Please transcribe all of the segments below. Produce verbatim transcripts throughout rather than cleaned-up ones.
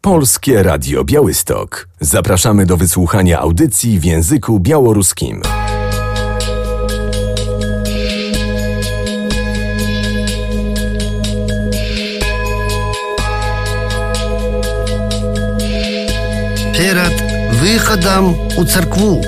Polskie Radio Białystok. Zapraszamy do wysłuchania audycji w języku białoruskim. Перед выходом у церкву.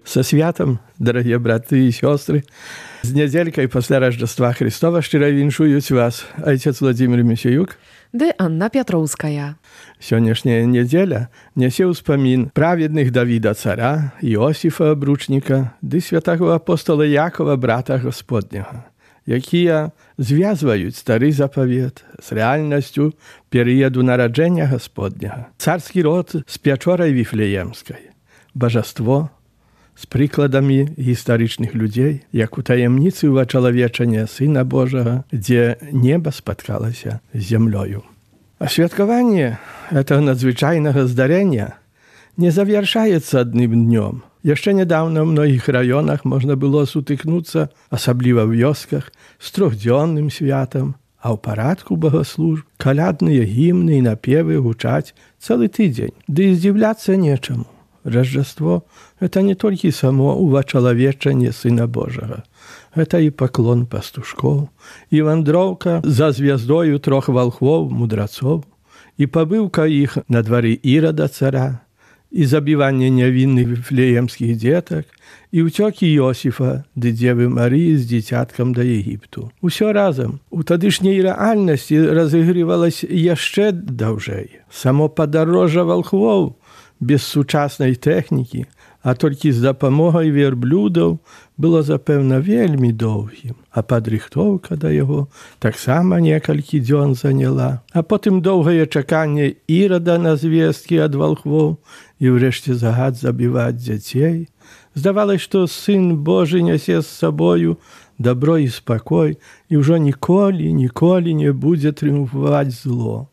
Со святом, дорогие браты и сестры, з недзелькай пасля Рождества Христова шчыра віншуюць вас отец Владимир Мисеюк ды Анна Пятроўская. Сённяшняя недзеля нясе ўспамін праведных Давіда цара, Иосифа абручніка ды святаго апостола Якова, брата Господняга, якія звязваюць стары запавет з рэальнасцю перыяду нараджэння Господняга. Царскі род з пячорай Віфлеемскай, бажаство з прыкладамі гістарычных людзей, як у таямніцы ўвачалавечання Сына Божага, дзе неба спаткалася з зямлёю. А святкаванне гэтага надзвычайнага здарэння не завяршаецца адным днём. Яшчэ нядаўна ў многіх раёнах можна было сутыкнуцца, асабліва ў вёсках, з трохдзённым святам, а ў парадку богаслужб калядныя гімны і напевы гучаць цэлы тыдзень. Ды і здзіўляцца нечаму. Рождество – это не толькі само увачалавечанне Сына Божага. Гэта і паклон пастушкоў, і вандроўка за звяздою трох валхвоў, мудрацоў, і пабыўка іх на двары Ірада цара, і забіванне нявінных віфлеемскіх дзетак, і ўцёкі Іосіфа ды дзевы Марыі з дзіцяткам да Егіпту. Усё разам у тадышняй рэальнасці разыгрывалася яшчэ даўжэй. Само падарожжа валхвоў без сучаснай тэхнікі, а толькі з дапамогай верблюдаў было, запэўна, вельмі доўгім, а падрыхтоўка да яго таксама некалькі дзён заняла. А потым доўгае чаканне Ірада на звесткі ад валхвоў і ўрэшце загад забіваць дзяцей. Здавалось, што Сын Божы нясе з сабою дабро і спакой, і ўжо ніколі, ніколі не будзе трыумфаваць зло.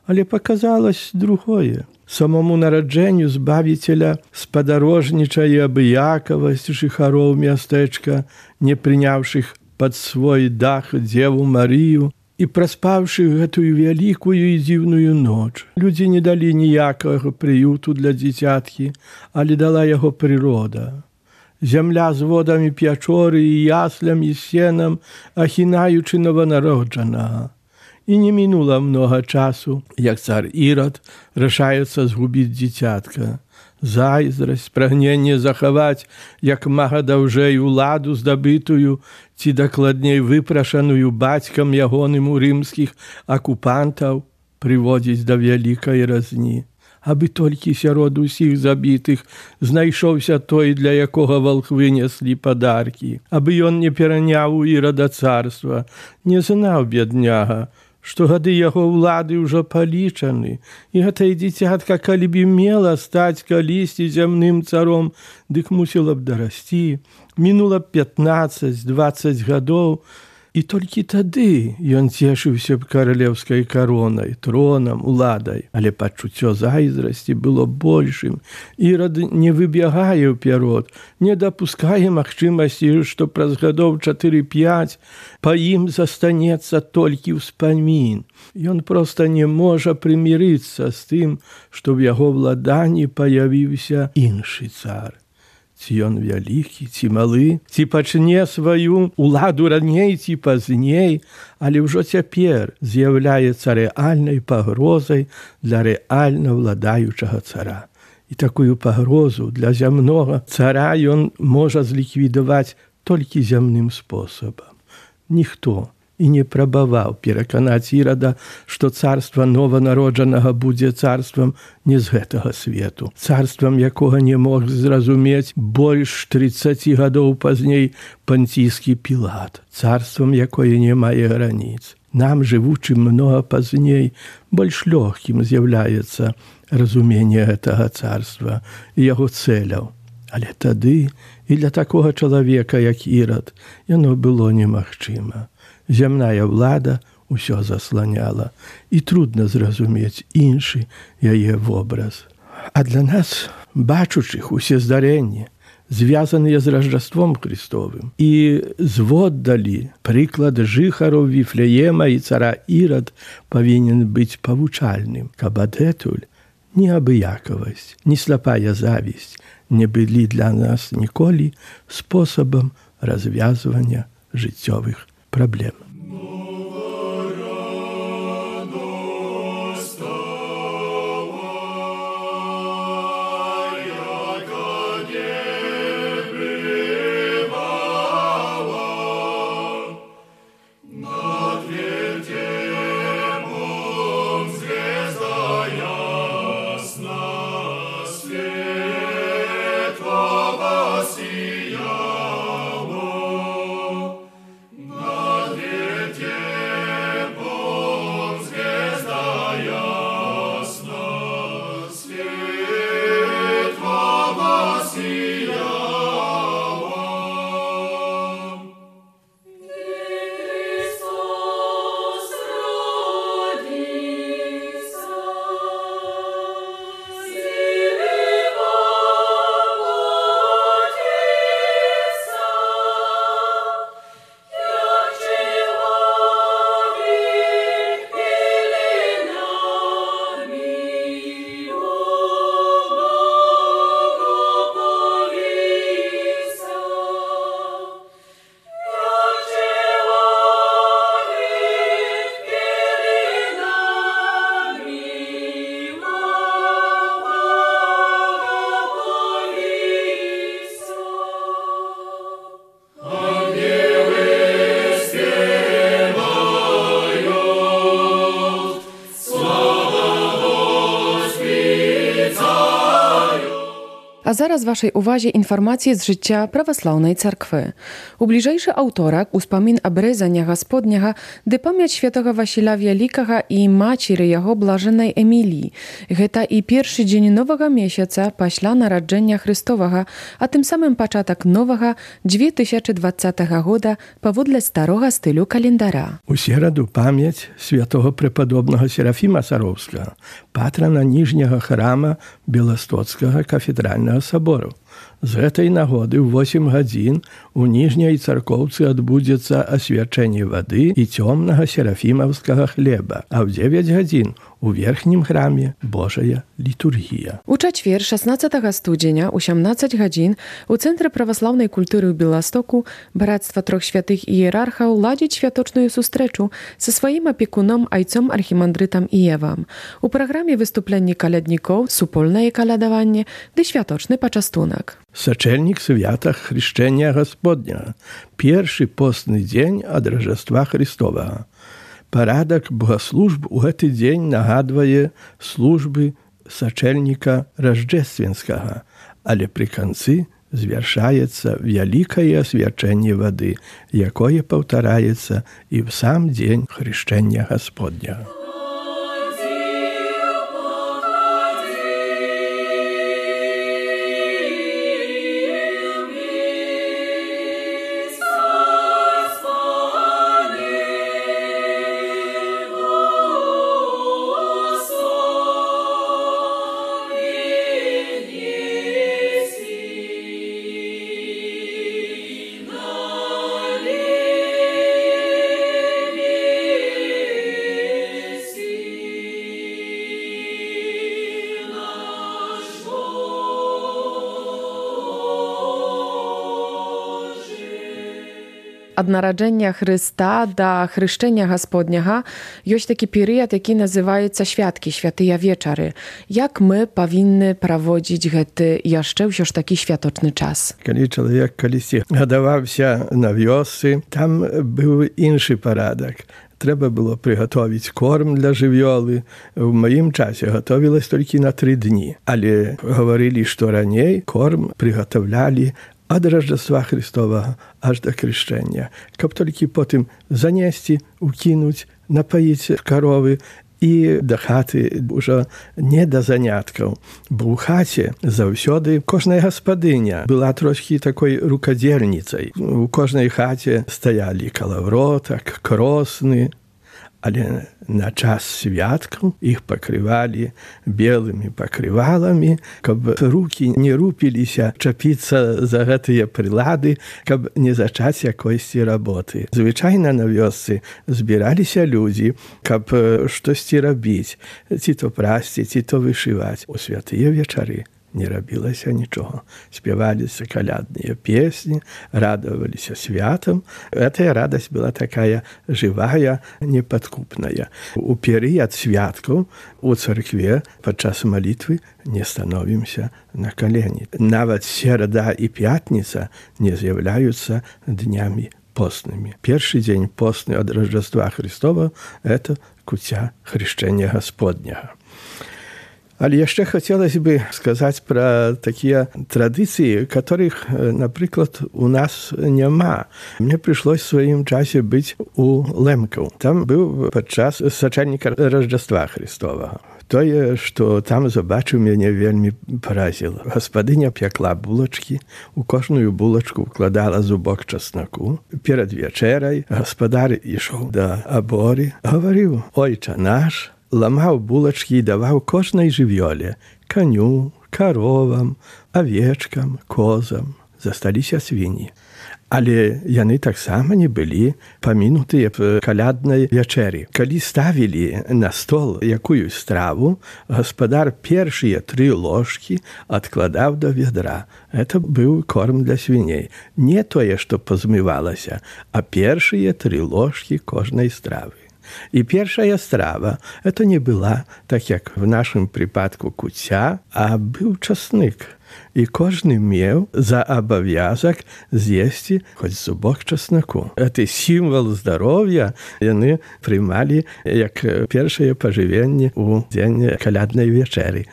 Але паказалось другое. Самому нараджэнню Збавіцеля спадарожнічае абыякавасць жыхароў мястэчка, не прыняўшых пад свой дах дзеву Марыю і праспаўшы гэтую вялікую і дзіўную ноч. Людзі не далі ніякага прыюту для дзіцяткі, але дала яго прырода. Зямля з водамі пячоры і яслям і сенам, ахінаючы нованароджанага. І не мінула многа часу, як цар Ірад рашаецца згубіць дзіцятка. Зайздрасць, прагненне захаваць як мага даўжэй уладу здабытую, ці дакладней выпрашаную бацькам ягоным у рымскіх акупантаў, прыводзіць да вялікай разні. Абы толькі сярод усіх забітых знайшоўся той, для якога валхвы неслі падаркі. Абы ён не пераняў у Ірада царства, не знаў бедняга, што гады яго ўлады ўжо палічаны, і гэтае дзіцятка, калі б мела стаць калісьці зямным царом, дык мусіла б дарасці. Мінула пятнаццаць-дваццаць гадоў, і толькі тады ён цешыўся б каралеўскай каронай, тронам, уладай. Але пачуццё зайздрасці было большым. Ірад не выбягае ўперод, не дапускае магчымасці, што праз гадоў чатыры-пяць па ім застанецца толькі ўспамін. Ён проста не можа прымірыцца з тым, што ў яго владанні паявіўся іншы цар. Ці ён вялікі, ці малы, ці пачне сваю уладу раней, ці пазней, але ўжо цяпер з'яўляецца рэальнай пагрозай для рэальна владаючага цара. І такую пагрозу для зямнога цара ён можа зліквідаваць толькі зямным спосабам. Ніхто і не прабаваў пераканаць Ірада, што царства нованароджанага будзе царствам не з гэтага свету, царствам якога не мог зразумець больш трыццаці гадоў пазней панційскі Пілат, царствам якое не мае граніц. Нам, жывучым многа пазней, больш лёгкім з'яўляецца разуменне гэтага царства і яго цэляў. Але тады і для такога чалавека, як Ірад, яно было немагчыма. Зямная ўлада ўсё засланяла, і трудна зразумець іншы яе вобраз. А для нас, бачучых усе здарэнні, звязаныя з Раждаством Христовым, і зводдалі прыклад жыхараў Віфлеема і цара Ірад павінен быць павучальным, каб адэтуль ні абыякавасць, ні слепая завісць не былі для нас ніколі спосабам развязвання жыццёвых проблем. А зараз вашej uwadze informacje z życia prawosławnej cerkwy. U bliżejszy autorek uspomín obrezania Gospodniego, gdy pamięć świętego Wasila Wielkiego i maciery jego blażenej Emilii. Гэта i pierwszy dzień nowego miesiąca paśla narodzenia Chrystowego, a tym samym początek nowego dwa tysiące dwudziestego года powódle starego stylu kalendara. У сераду памяць святого преподобного Серафима Саровскага, патрана ніжняга храма Беластоцкага кафедральнага собору. З гэтай нагоды ў восем гадзін у ніжняй царкоўцы адбудзецца асвячэнне вады і цёмнага серафімаўскага хлеба, а ў дзевяць гадзін у верхнім храме Божая літургія. У чацвер шаснаццатага студзеня у сямнаццаць гадзін у Цэнтры праваслаўнай культуры ў Беластоку Брацтва трох святых іерархаў ладзіць святочную сустрэчу са сваім апекуном айцом архімандрытам Іевам. У праграме выступленні каляднікоў, супольнае калядаванне ды святочны пачастунак. Сачэльнік свята Хрышчэння Гасподняга, першы постны дзень ад Раждаства Христовага. Парадак богаслужб у гэты дзень нагадвае службы сачэльніка Ражджэсцвенскага, але пры канцы звяршаецца вялікае асвячэнне вады, якое паўтараецца і ў сам дзень Хрышчэння Гасподняга. ад нараджэння Хрыста да хрышчэння Гасподняга ёсць такі перыяд, які называецца святкі, святыя вечары. Як мы павінны праводзіць гэты яшчэ ўсё ж такі святочны час? Калі чалавек калісьці гадаваўся на вёсцы, там быў іншы парадак. Трэба было прыгатовіць корм для жывёлы. У маім часе гатовілась толькі на тры дні. Але гаварылі, што раней корм прыгатаўлялі ад Раждства Христовага аж да крышчэння, каб толькі потым занесці, укінуць, напаіць каровы і да хаты ўжо не да заняткаў. Бо ў хаце заўсёды кожная гаспадыня была трошкі такой рукадзельніцай. У кожнай хаце стаялі калавротак, кросны, але на час святкаў іх пакрывалі белымі пакрываламі, каб рукі не рупіліся чапіцца за гэтыя прылады, каб не зачаць якойсьці работы. Звычайна на вёсцы збіраліся людзі, каб штосьці рабіць, ці то прасці, ці то вышываць. У святыя вечары не рабілася нічога. Спяваліся калядныя песні, радаваліся святам. Гэтая радасць была такая жывая, непадкупная. У перыяд святкаў у царкве падчас малітвы не становімся на калені. Нават серада і пятніца не з'яўляюцца днямі постнымі. Першы дзень постны ад Раждства Христова – это куця хрышчэння Гасподняга. Але яшчэ хацелася бы сказаць пра такія традыцыі, которых, напрыклад, у нас няма. Мне прыйшлось в сваім часе быць у Лэмкаў. Там быў падчас сачальніка Раждства Христовага. Тое, што там забачыў, мяне вельмі паразіла. Гаспадыня пякла булачкі, у кожную булачку укладала зубок часнаку. Перад вечерай гаспадар ішоў да аборы, гаварыў: «Ойча наш», ламаў булачкі і даваў кожнай жывёле, каню, каровам, авечкам, козам. Засталіся свінні. Але яны таксама не былі памінутыя в каляднай вячэры. Калі ставілі на стол якую страву, гаспадар першыя тры ложкі адкладаў да ведра. Это быў корм для свіней. Не тое, што пазмывалася, а першыя тры ложкі кожнай стравы. І першая страва – это не была, так як в нашым прыпадку, куця, а быў часнык. І кожны меў за абавязак з'есці хоць зубок часнаку. Гэты сімвал здароўя яны прымалі як першае пажывенне ў дзень каляднай вечэры.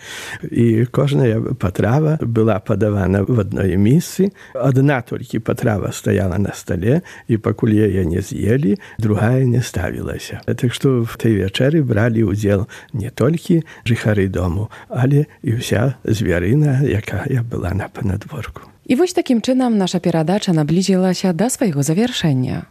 І кожная патрава была падавана в адной місцы. Адна толькі патрава стаяла на стале, і пакуль яе не з'елі, другая не ставілася. Так што в той вечэры бралі ўдзел не толькі жыхары дому, але і ўся звярына, якая была на панадворку. І вось такім чынам наша перадача наблізілася да свайго завяршэння.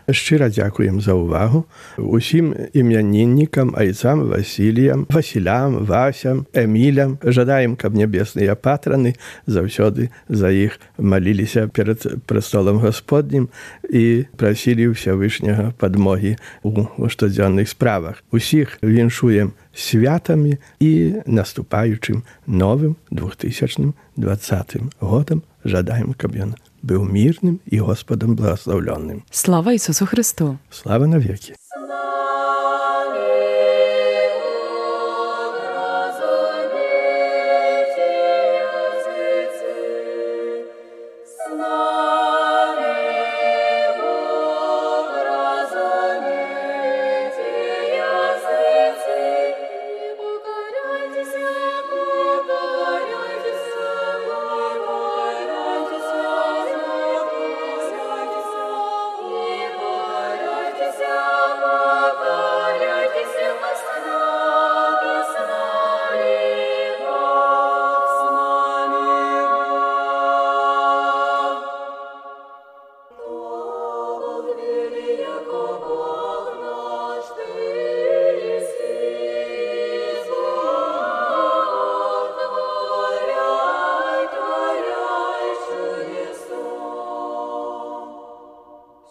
Шчыра дзякуем за ўвагу усім імяніннікам, айцам, Васіліям, Васілям, Васям, Эмілям. Жадаем, каб нябесныя патраны заўсёды за іх маліліся перад прастолам Гасподнім і прасілі Ўсявышняга падмогі у штодзённых справах. Усіх віншуем святамі і наступаючым новым двухтысячным двадцатым годам. Жадаем, каб ён быў мірным і Господам благословленным. Слава Ісусу Христу! Слава навеки!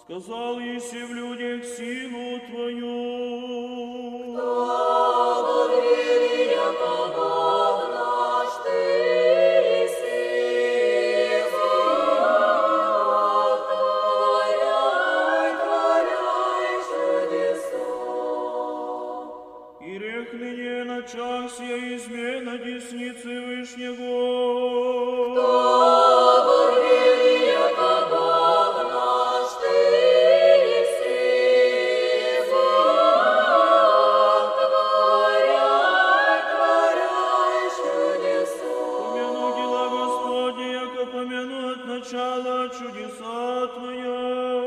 Сказал Иси в людях силу Твою. блаженну от начала чудеса Твоя.